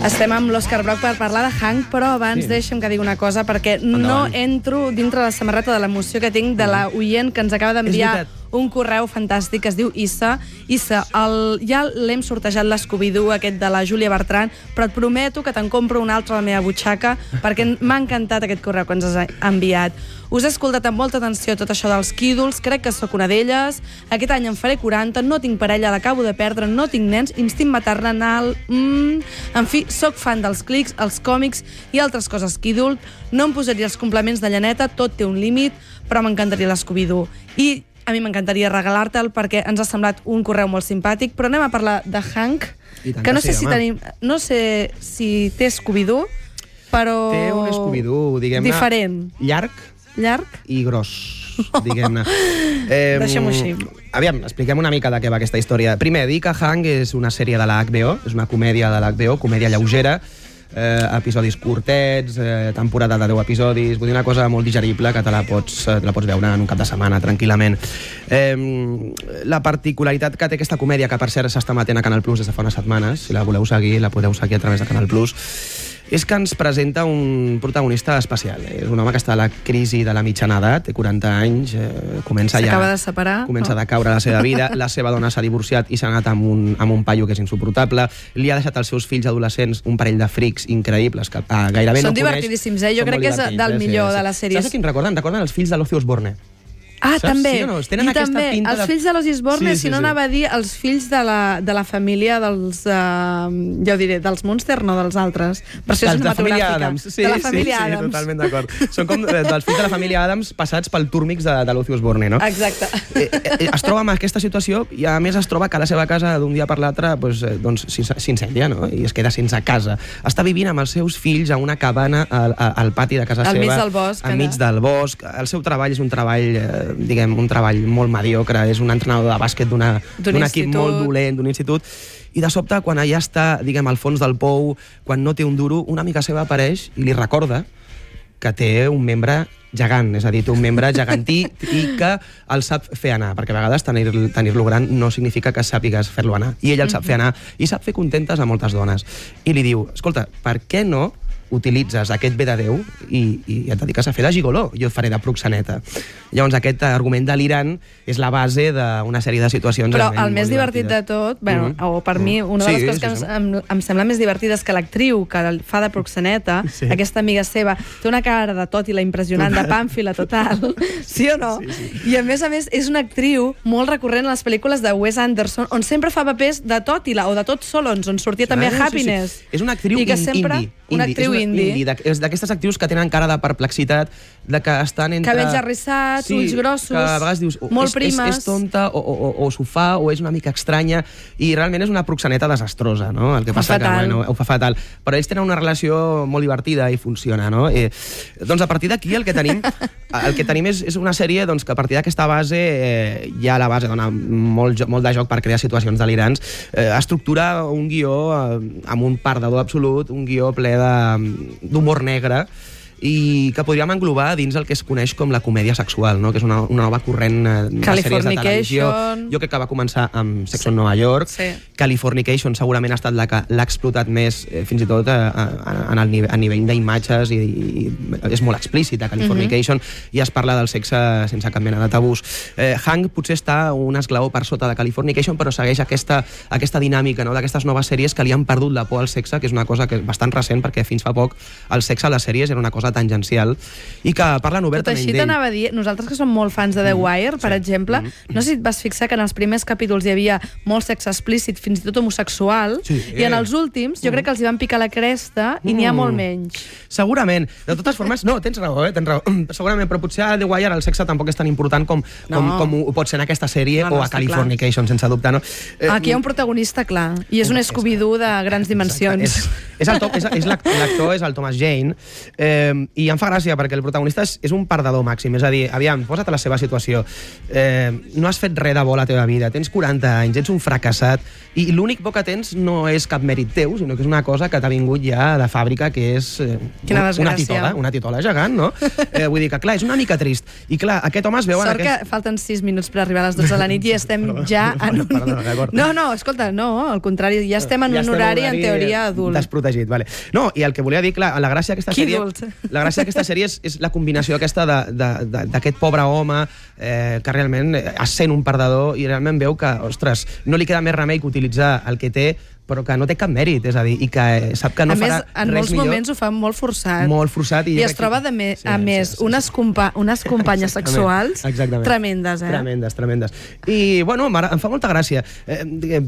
Estem amb l'Òscar Broc per parlar de Hank, però abans deixa'm que digui una cosa, perquè no entro dintre la samarreta de l'emoció que tinc de la oient que ens acaba d'enviar un correu fantàstic que es diu Issa. Issa, ja l'hem sortejat l'Scooby-Doo aquest de la Júlia Bertran, però et prometo que te'n compro un altre a la meva butxaca, perquè m'ha encantat aquest correu que ens has enviat. Us he escoltat amb molta atenció tot això dels quídols, crec que sóc una d'elles. Aquest any en faré 40, no tinc parella, l'acabo de perdre, no tinc nens, instint maternal... En fi, sóc fan dels clics, els còmics i altres coses quídol. No em posaria els complements de llaneta, tot té un límit, però m'encantaria l'Scooby-Doo. I a mi m'encantaria regalar-te'l perquè ens ha semblat un correu molt simpàtic, però anem a parlar de Hank, que no sé si tenim... No sé si té Scooby-Doo, però... Té un Scooby-Doo, diguem-ne... Diferent. Llarg i gros, diguem-ne. Deixem-ho així. Aviam, expliquem una mica de què va aquesta història. Primer, dir que Hank és una sèrie de la HBO, és una comèdia de la HBO, comèdia lleugera, episodis curtets, temporada de 10 episodis, vull dir una cosa molt digerible que te la pots veure en un cap de setmana tranquil·lament. La particularitat que té aquesta comèdia, que per cert s'està emetent a Canal Plus des de fa unes setmanes, si la voleu seguir, la podeu seguir a través de Canal Plus, és que ens presenta un protagonista especial. És un home que està a la crisi de la mitjana edat, té 40 anys, s'acaba de separar, comença a decaure la seva vida, la seva dona s'ha divorciat i s'ha anat amb un paio que és insuportable, li ha deixat als seus fills adolescents un parell de frics increïbles que gairebé no coneix. Són divertidíssims, jo crec que és del millor de les sèries. Saps a quin recorden? Recorden els fills de l'Ozzy Osbourne. Ah, saps? també. Sí o no? Tenen aquesta pinta els fills de l'Ozzy Osbourne, si no anava a dir els fills de la família dels... ja ho diré, dels Munster, no dels altres. Versió cinematogràfica. Adams. De la família Adams. Sí, totalment d'acord. Són com dels fills de la família Adams passats pel túrmix de l'Ozzy Osbourne, no? Exacte. Es troba amb aquesta situació i a més es troba que a la seva casa d'un dia per l'altre s'incendia, no? I es queda sense casa. Està vivint amb els seus fills a una cabana al pati de casa seva. Al mig del bosc. Al mig del bosc. El seu treball és un treball molt mediocre, és un entrenador de bàsquet d'un equip molt dolent, d'un institut, i de sobte, quan allà està, al fons del pou, quan no té un duro, una amiga seva apareix i li recorda que té un membre gegant, és a dir, té un membre gegantí i que el sap fer anar, perquè a vegades tenir-lo gran no significa que sàpigues fer-lo anar, i ell el sap fer anar i sap fer contentes a moltes dones. I li diu, escolta, per què no utilitzes aquest bé de Déu i et dediques a fer de gigoló, jo et faré de proxeneta. Llavors aquest argument delirant és la base d'una sèrie de situacions. Però el més divertit de tot, o per mi, una de les coses que em sembla més divertida és que l'actriu que fa de proxeneta, aquesta amiga seva, té una cara de tòtila impressionant, de pàmfila total, sí o no? I a més, és una actriu molt recurrent a les pel·lícules de Wes Anderson, on sempre fa papers de tòtila o de tots solons, on sortia també a Happiness. És una actriu indie. Una actriu indie. És d'aquestes actrius que tenen cara de perplexitat, de que estan entre... Cabells arrissats, ulls grossos, que a vegades dius, molt primes. És tonta, o s'ho fa, o és una mica estranya, i realment és una proxeneta desastrosa, no? El que passa que, ho fa fatal. Però ells tenen una relació molt divertida i funciona, no? Doncs a partir d'aquí el que tenim és una sèrie que a partir d'aquesta base, ja la base dona molt de joc per crear situacions delirants, estructura un guió amb un perdedor absolut, un guió ple d'humor negre, i que podríem englobar dins el que es coneix com la comèdia sexual, no? Que és una nova corrent de sèries de televisió. Jo crec que va començar amb Sex on Nova York. Californication segurament ha estat la que l'ha explotat més, fins i tot a nivell d'imatges, i és molt explícita Californication, i es parla del sexe sense cap mena de tabús. Hank potser està un esglaó per sota de Californication, però segueix aquesta dinàmica, no? D'aquestes noves sèries que li han perdut la por al sexe, que és una cosa que és bastant recent, perquè fins fa poc el sexe a les sèries era una cosa tangencial, i que parlen obertament d'ell. Tot així t'anava a dir, nosaltres que som molt fans de The Wire, per exemple, no sé si et vas fixar que en els primers capítols hi havia molt sexe explícit, fins i tot homosexual, i en els últims jo crec que els hi van picar la cresta i n'hi ha molt menys. Segurament. De totes formes, no, tens raó. Segurament, però potser a The Wire el sexe tampoc és tan important com ho pot ser en aquesta sèrie o a Californication, sense dubte, no? Aquí hi ha un protagonista clar, i és un Scooby-Doo de grans dimensions. L'actor és el Thomas Jane. I em fa gràcia perquè el protagonista és un perdedor màxim, és a dir, aviam, posa't a la seva situació, no has fet res de bo a la teva vida, tens 40 anys, ets un fracassat, i l'únic bo que tens no és cap mèrit teu, sinó que és una cosa que t'ha vingut ja de fàbrica, que és una titola gegant, no? Vull dir que, clar, és una mica trist. I, clar, aquest home es veu... Sort que falten 6 minuts per arribar a les 12 de la nit i estem ja en un... No, escolta, no, al contrari, ja estem en un horari, en teoria, adult. Desprotegit, vale. No, i el que volia dir, clar, la gràcia d'aquesta sèrie és la combinació aquesta d'aquest pobre home que realment es sent un perdedor i realment veu que, ostres, no li queda més remei que utilitzar el que té, però que no té cap mèrit, és a dir, i que sap que no farà res millor. En molts moments ho fa molt forçat. Molt forçat. I es troba, a més, unes companyes sexuals tremendes, Tremendes. I, bueno, em fa molta gràcia.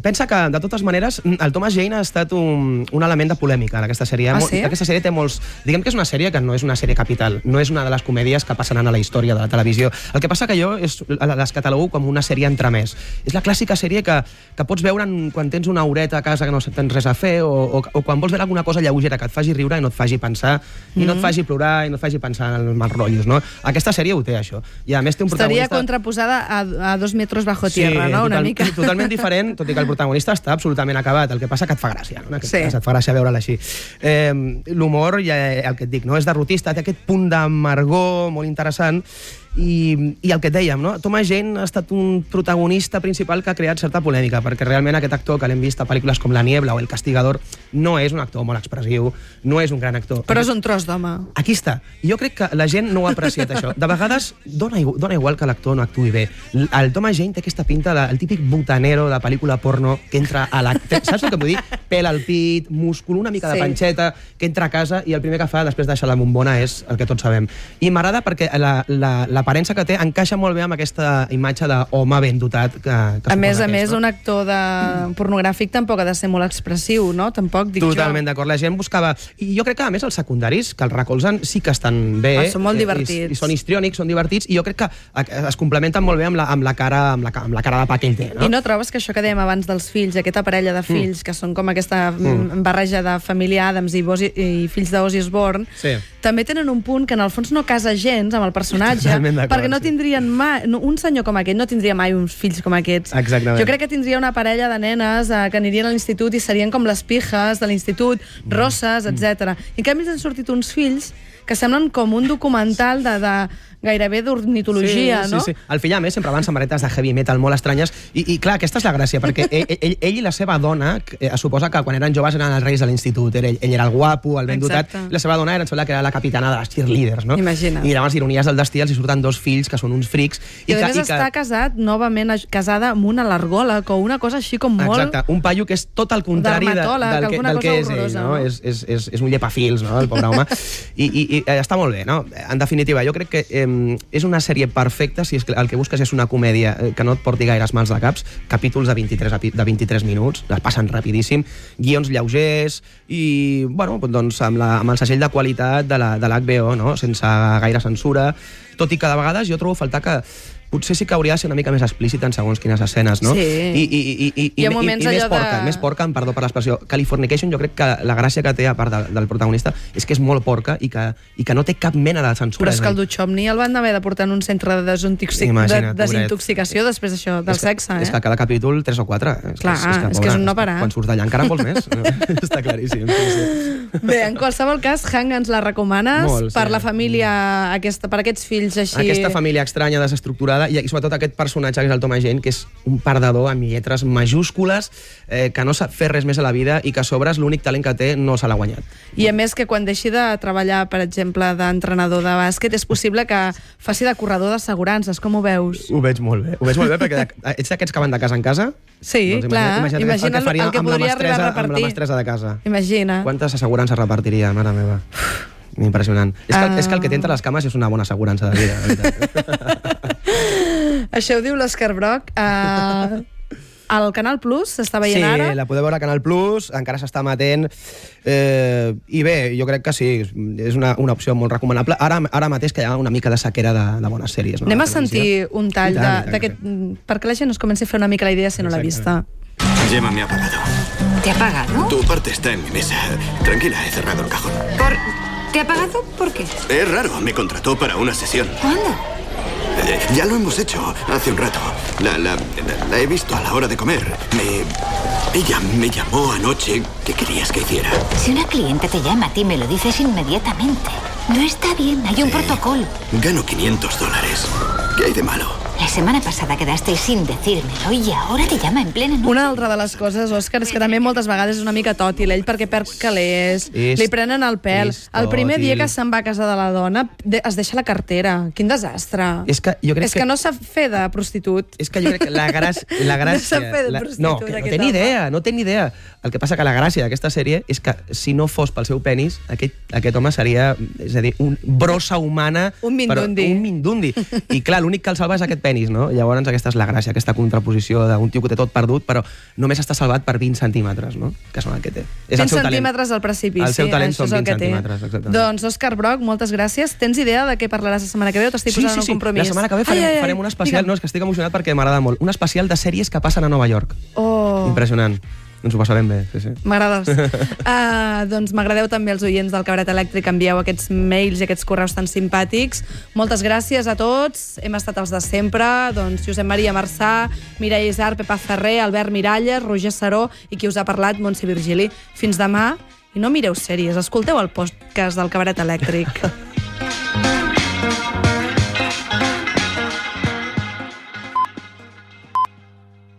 Pensa que, de totes maneres, el Thomas Jane ha estat un element de polèmica en aquesta sèrie. Sí? Aquesta sèrie té molts... Diguem que és una sèrie que no és una sèrie capital, no és una de les comèdies que passaran a la història de la televisió. El que passa que jo les catalogo com una sèrie entremès. És la clàssica sèrie que pots veure quan tens una horeta a casa que no tens res a fer, o quan vols veure alguna cosa lleugera que et faci riure i no et faci pensar, i no et faci plorar, i no et faci pensar en els mals rotllos, no? Aquesta sèrie ho té, això. I a més té un protagonista... Estaria contraposada a 2 metros bajo tierra, no? Una mica. Totalment diferent, tot i que el protagonista està absolutament acabat. El que passa que et fa gràcia, no? Et fa gràcia veure'l així. L'humor, el que et dic, no? És derrotista, té aquest punt d'amargor molt interessant. I el que et dèiem, no? Thomas Jane ha estat un protagonista principal que ha creat certa polèmica, perquè realment aquest actor que l'hem vist a pel·lícules com La Niebla o El Castigador no és un actor molt expressiu, no és un gran actor. Però és un tros d'home. Aquí està. I jo crec que la gent no ho ha apreciat, això. De vegades dona igual que l'actor no actuï bé. El Thomas Jane té aquesta pinta, el típic botanero de pel·lícula porno que entra a la... Saps el que vull dir? Pèl al pit, múscul, una mica de panxeta, que entra a casa i el primer que fa després deixar la bombona és el que tots sabem. I m'agrada perquè l'aparença que té encaixa molt bé amb aquesta imatge d'home ben dotat que a més, un actor pornogràfic tampoc ha de ser molt expressiu, no? Tampoc dic jo. Totalment d'acord. La gent buscava... I jo crec que, a més, els secundaris que el recolzen sí que estan bé. Són molt divertits. I són histriònics, són divertits, i jo crec que es complementen molt bé amb la cara de pa que ell té, no? I no trobes que això que dèiem abans dels fills, aquesta parella de fills, que són com aquesta barreja de família Addams i fills d'Ozzy Osbourne, també tenen un punt que en el fons no casa gens amb el personatge, perquè no tindrien mai... Un senyor com aquest no tindria mai uns fills com aquests. Exactament. Jo crec que tindria una parella de nenes que anirien a l'institut i serien com les pijes de l'institut, rosses, etc. I en canvi han sortit uns fills que semblen com un documental de gairebé d'ornitologia, no? Sí. El fill, a més, sempre va amb samarretes de heavy metal molt estranyes i clar, aquesta és la gràcia, perquè ell i la seva dona, es suposa que quan eren joves eren els reis de l'institut, ell era el guapo, el ben dotat, i la seva dona em sembla que era la capitana de les cheerleaders, no? Imagina't. I llavors, ironies del destí, els hi surten 2 fills que són uns frics. I a més està casat, novament casada amb una alergòleg o una cosa així com molt... Exacte, un paio que és tot el contrari del que és ell, no? És un llepafils, no? El pobre home. I està molt bé, no? En definitiva, jo crec que és una sèrie perfecta si el que busques és una comèdia que no et porti gaires mals de caps, capítols de 23 minuts, les passen rapidíssim, guions lleugers i, bueno, doncs amb el segell de qualitat de l'HBO, no? Sense gaire censura, tot i que de vegades jo trobo a faltar que potser sí que hauria de ser una mica més explícit en segons quines escenes, no? Sí. I més porca, perdó per l'expressió. Californication, jo crec que la gràcia que té, a part del protagonista, és que és molt porca i que no té cap mena de censura. Però és que el Duchovny el van haver de portar en un centre de desintoxicació després d'això, del sexe, És que cada capítol 3 o 4. Clar, és que és un no parar. Quan surts d'allà encara en vols més. Està claríssim. Bé, en qualsevol cas, Hank ens la recomanes per la família, per aquests fills així... Aquesta família estranya, desestructurada, i sobretot aquest personatge que és el Thomas Jane, que és un perdedor amb lletres majúscules, que no sap fer res més a la vida i que a sobre l'únic talent que té no se l'ha guanyat. I a més que quan deixi de treballar, per exemple, d'entrenador de bàsquet, és possible que faci de corredor d'assegurances. Com ho veus? Ho veig molt bé. Perquè ets d'aquests que van de casa en casa? Sí, doncs clar. Imagina el que podria arribar a repartir. Amb la mestressa de casa. Imagina. Quantes assegurances repartiria, mare meva? Impressionant. És que el que té entre les cames és una bona assegurança de vida, de veritat. Això ho diu l'Òscar Broc. Al Canal Plus s'està veient ara? Sí, la podeu veure a Canal Plus, encara s'està emetent. I bé, jo crec que sí, és una opció molt recomanable. Ara mateix que hi ha una mica de sequera de bones sèries. Anem a sentir un tall d'aquest... Perquè la gent es comenci a fer una mica la idea si no l'ha vista. Gemma me ha pagado. ¿Te ha pagado? Tu parte está en mi mesa. Tranquila, he cerrado el cajón. ¿Te ha pagado? ¿Por qué? Es raro, me contrató para una sesión. ¿Cuándo? Ya lo hemos hecho hace un rato. La he visto a la hora de comer. Ella me llamó anoche. ¿Qué querías que hiciera? Si una cliente te llama a ti, me lo dices inmediatamente. No está bien, hay un protocolo. Gano $500. ¿Qué hay de malo? La setmana passada quedasteis sin decírmelo i ara te llama en plena noche. Una altra de les coses, Òscar, és que també moltes vegades és una mica tòtil, ell perquè perd calés, li prenen el pèl. El primer dia que se'n va a casa de la dona es deixa la cartera. Quin desastre. És que jo crec que no sap fer de prostitut. És que jo crec que la gràcia... No sap fer de prostitut. No té ni idea. El que passa que la gràcia d'aquesta sèrie és que si no fos pel seu penis, aquest home seria, és a dir, un brossa humana... Un mindundi. Un mindundi. I clar, l'únic que el salva és aquest penis, no? Llavors aquesta és la gràcia, aquesta contraposició d'un tio que té tot perdut, però només està salvat per 20 centímetres, no? Que són el que té. 20 centímetres al precipici. El seu talent són 20 centímetres, exactament. Doncs, Òscar Broc, moltes gràcies. Tens idea de què parlaràs la setmana que ve o t'estic posant en un compromís? La setmana que ve farem un especial, no, és que estic emocionat perquè m'agrada molt, un especial de sèries que passen a Nova York. Impressionant. Ens ho passarem bé, sí. M'agrades. Doncs m'agradeu també els oients del Cabaret Elèctric, envieu aquests mails i aquests correus tan simpàtics. Moltes gràcies a tots, hem estat els de sempre, doncs Josep Maria Marçà, Mireia Isar, Pepa Ferrer, Albert Miralles, Roger Saró i qui us ha parlat, Montse Virgili. Fins demà, i no mireu sèries, escolteu el podcast del Cabaret Elèctric.